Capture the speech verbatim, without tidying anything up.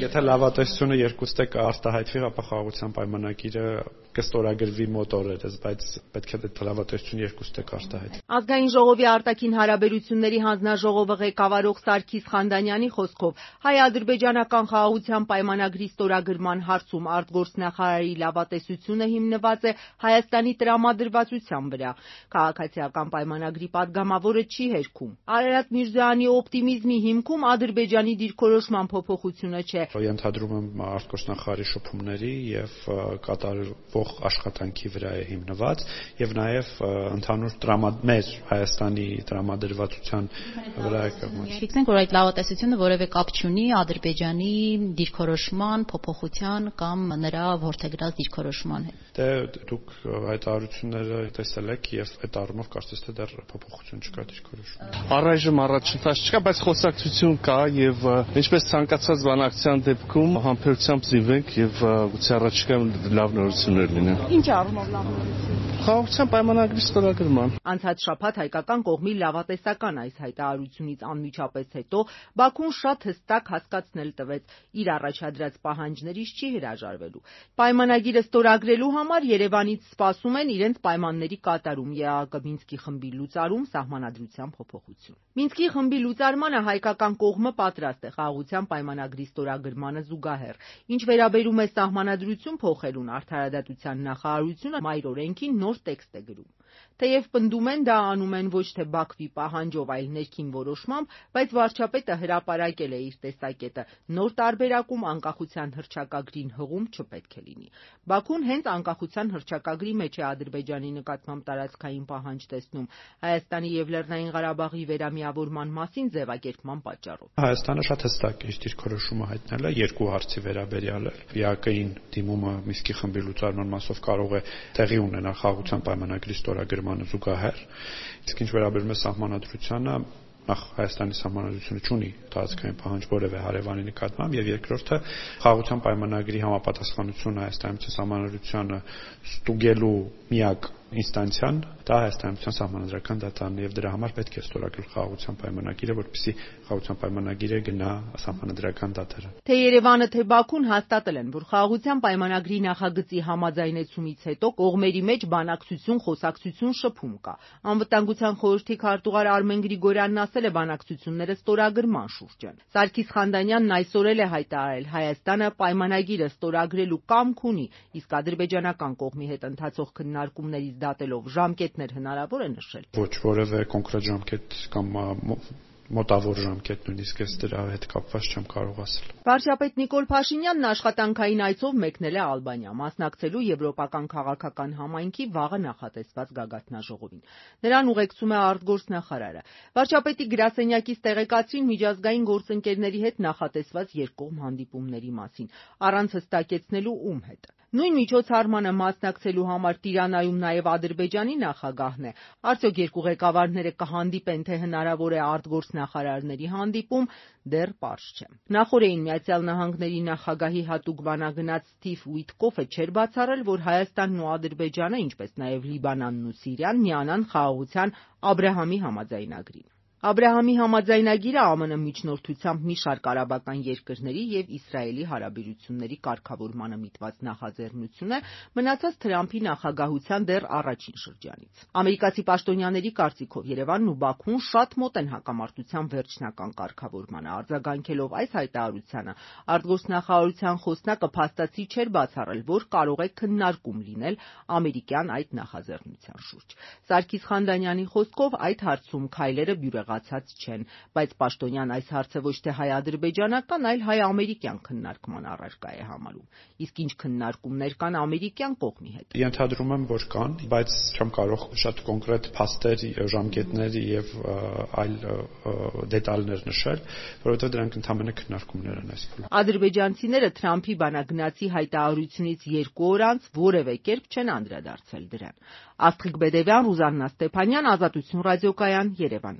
Եթե լավատեսությունը երկուստե կարտահայտվի, ապա խաղաղության պայմանագիրը կստորագրվի մոտ օրերս, բայց պետք է այդ լավատեսությունը երկուստե կարտահայտվի։ Ազգային ժողովի արտաքին հարաբերությունների հանձնաժողովը ղեկավարող Սարգիս Խանդանյանի խոսքով հայ-ադրբեջանական խաղաղության պայմանագրի ստորագրման հարցում արտգործնախարարի լավատեսությունը հիմնված է Հայաստանի տրամադրվածության վրա։ Քաղաքացիական պայմանագրի падգամավորը չի հերքում։ Արարատ Միրզոյանի օպտիմիզմի հիմքում Ադրբեջանի դիրքորոշման փոփոխությունը չէ։ Ենթադրում եմ արտգործնախարարի շփումների եւ կատարվող աշխատանքի վրա է հիմնված եւ նաեւ ընդհանուր տրամադմեր Հայաստանի տրամադրվածության վրա է կողմից։ Ֆիքսենք, որ այդ լավատեսությունը որևէ կապ չունի Ադրբեջանի դիրքորոշման փոփոխության կամ նրա որդեգրած դիրքորոշման հետ։ Դե դուք հայտարարությունները տեսել եք եւ այդ առումով կարծես թե դեռ փոփոխություն չկա դիրքորոշում։ Առայժմ առաջընթաց չկա, բայց խոսակցություն կա եւ ինչպես ցանկացած բանակցության դեպքում համբերությամբ զինվենք եւ գուցե առաջիկայում լավ նորություններ լինեն։ Ինչ առումով լավ նորություն։ Խաղաղության պայմանագրի ստորագրման։ Անցած շաբաթ հայկական կողմի լավատեսական այս հայտարարությունից անմիջապես հետո Բաքուն շատ հստակ հասկացնել տվեց իր առաջադրած պահանջներից չի հրաժարվելու։ Պայմանագիրը ստորագրելու համար Երևանից սպասում են իրենց պայմանների կատարում, ԵԱՀԿ Մինսկի խմբի լուծարում, սահմանադրության փոփոխություն։ Մինսկի խմբի լուծարմանը հայկական կողմը պատրաստ է խաղաղության պայմանագրի ստորագրմանը զուգահեռ։ Ինչ վերաբերում է սահմանադրություն փոխելուն, արդարադատության նախարարությունը մայր օրենքին նոր տեքստ է գրում։ Թեև պնդում են դա անում են ոչ թե Բաքվի պահանջով, այլ ներքին որոշմամբ, բայց վարչապետը հրապարակել է իր տեսակետը։ Նոր տարբերակում անկախության հռչակագրին հղում չպետք է լինի։ Բաքուն հենց անկախության հռչակագրի մեջ է Ադրբեջանի նկատմամբ տարածքային պահանջ տեսնում Հայաստանի եւ Լեռնային Ղարաբաղի վերամիավորման մասին ձևակերպման պատճառով։ Հայաստանը շատ հստակ իր դիրքորոշումը հայտնել է երկու հարցի վերաբերյալ։ ԵԱՀԿ-ին դիմումը Մինսկի խմբի լուծարման մասով կարող է տեղի ունենալ խաղաղության պայմանագրի ստորագրմանը զուգահեռ։ Իսկ ինչ վերաբերում է սահմանադրությանը, նախ Հայաստանի սահմանադրությունը չունի տարածքային պահանջ որևէ հարևանի նկատմամբ եւ երկրորդը խաղաղության պայմանագրի համապատասխանությունը Հայաստանի սահմանադրությանը ստուգելու միակ ինստանցիան դա Հայաստանի սահմանադրական դատարանն է եւ դրա համար պետք է ստորագրել խաղաղության պայմանագիրը, որպեսզի խաղաղության պայմանագիրը գնա սահմանադրական դատարան։ Թե Երևանը, թե Բաքուն հաստատել են, որ խաղաղության պայմանագրի նախագծի համաձայնեցումից հետո կողմերի մեջ բանակցություն, խոսակցություն, շփում կա։ Անվտանգության խորհրդի քարտուղար Արմեն Գրիգորյանն ասել է բանակցությունները ստորագրման շուրջ են։ Սարգիս Խանդանյանն այսօր էլ է հայտարարել Հայաստանը պայմանագիրը ստորագրելու կամք ունի, իսկ ադրբեջանական կողմի հետ ընթացող քննարկումներից դատելով ժամկետներ հնարավոր է նշել։ Ոչ որևէ կոնկրետ ժամկետ կամ մոտավոր ժամկետ նույնիսկ ես դրա հետ կապված չեմ կարող ասել։ Վարչապետ Նիկոլ Փաշինյանն աշխատանքային այցով մեկնել է Ալբանիա, մասնակցելու եվրոպական քաղաքական համայնքի վաղը նախատեսված գագաթնաժողովին։ Նրան ուղեկցում է արտգործնախարարը։ Վարչապետի գրասենյակից տեղեկացրին միջազգային գործընկերների հետ նախատեսված երկկողմ հանդիպումների մասին, առանց հստակեցնելու ում հետ։ Նույն միջոցառմանը մասնակցելու համար Տիրանայում նաև Ադրբեջանի նախագահն է։ Արդյոք երկու ղեկավարները կհանդիպեն, թե հնարավոր է արտգործնախարարների հանդիպում, դեռ պարզ չէ։ Նախորդին Միացյալ Նահանգների նախագահի հատուկ բանագնաց Սթիվ Ուիթկոֆը չէր բացառել, որ Հայաստանն ու Ադրբեջանը, ինչպես նաև Լիբանանն ու Սիրիան, միանան խաղաղության Աբրահամի համաձայնագրին։ Աբրահամի համաձայնագիրը ԱՄՆ միջնորդությամբ մի շարք արաբական երկրների եւ Իսրայելի հարաբերությունների կարգավորմանը միտված նախաձեռնություն է, մնացած Թրամփի նախագահության դեռ առաջին շրջանից։ Ամերիկացի պաշտոնյաների կարծիքով Երևանն ու Բաքուն շատ մոտ են հակամարտության վերջնական կարգավորմանը։ Արձագանքելով այս հայտարարությանը, արտգործնախարարության խոսնակը փաստացի չէր բացառել, որ կարող է քննարկում լինել ամերիկյան այդ նախաձեռնության շուրջ։ Սարգիս Խանդանյանի խոսքով այդ հարցում քայլերը բյուրեղացած չեն, բայց պաշտոնյան այս հարցը ոչ թե հայ-ադրբեջանական, այլ հայ-ամերիկյան քննարկման առարկա է համարում։ Իսկ ինչ քննարկումներ կան ամերիկյան կողմի հետ։ Ենթադրում եմ, որ կան, բայց չեմ կարող շատ կոնկրետ փաստեր, ժամկետներ եւ այլ դետալներ նշել, որովհետեւ դրանք ընդհանրապես քննարկումներ են այս փուլում։ Ադրբեջանցիները Թրամփի բանագնացի հայտարարությունից երկու օր անց որևէ կերպ չեն անդրադարձել դրան։ Աստղիկ Բեդևյան, Ռուզաննա Ստեփանյան, Ազատություն ռադիոկայան, Երևան։